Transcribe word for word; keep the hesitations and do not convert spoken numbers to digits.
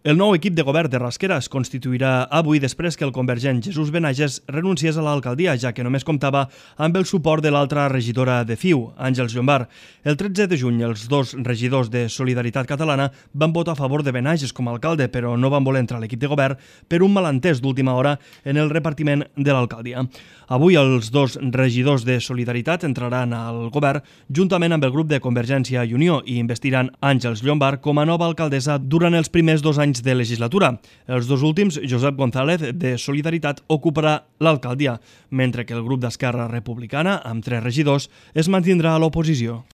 El nou equip de govern de Rasquera es constituirà avui després que el convergent Jesús Benages renunciés a l'alcaldia, ja que només comptava amb el suport de l'altra regidora de F I U, Àngels Llombart. El tretze de juny, els dos regidors de Solidaritat Catalana van votar a favor de Benages com a alcalde, però no van voler entrar a l'equip de govern per un malentès d'última hora en el repartiment de l'alcaldia. Avui els dos regidors de Solidaritat entraran al govern juntament amb el grup de Convergència i Unió i investiran Àngels Llombart com a nova alcaldessa durant els primers dos anys de legislatura. Els dos últims, Josep González, de Solidaritat, ocuparà l'alcaldia, mentre que el grup d'Esquerra Republicana, amb tres regidors, es mantindrà a l'oposició.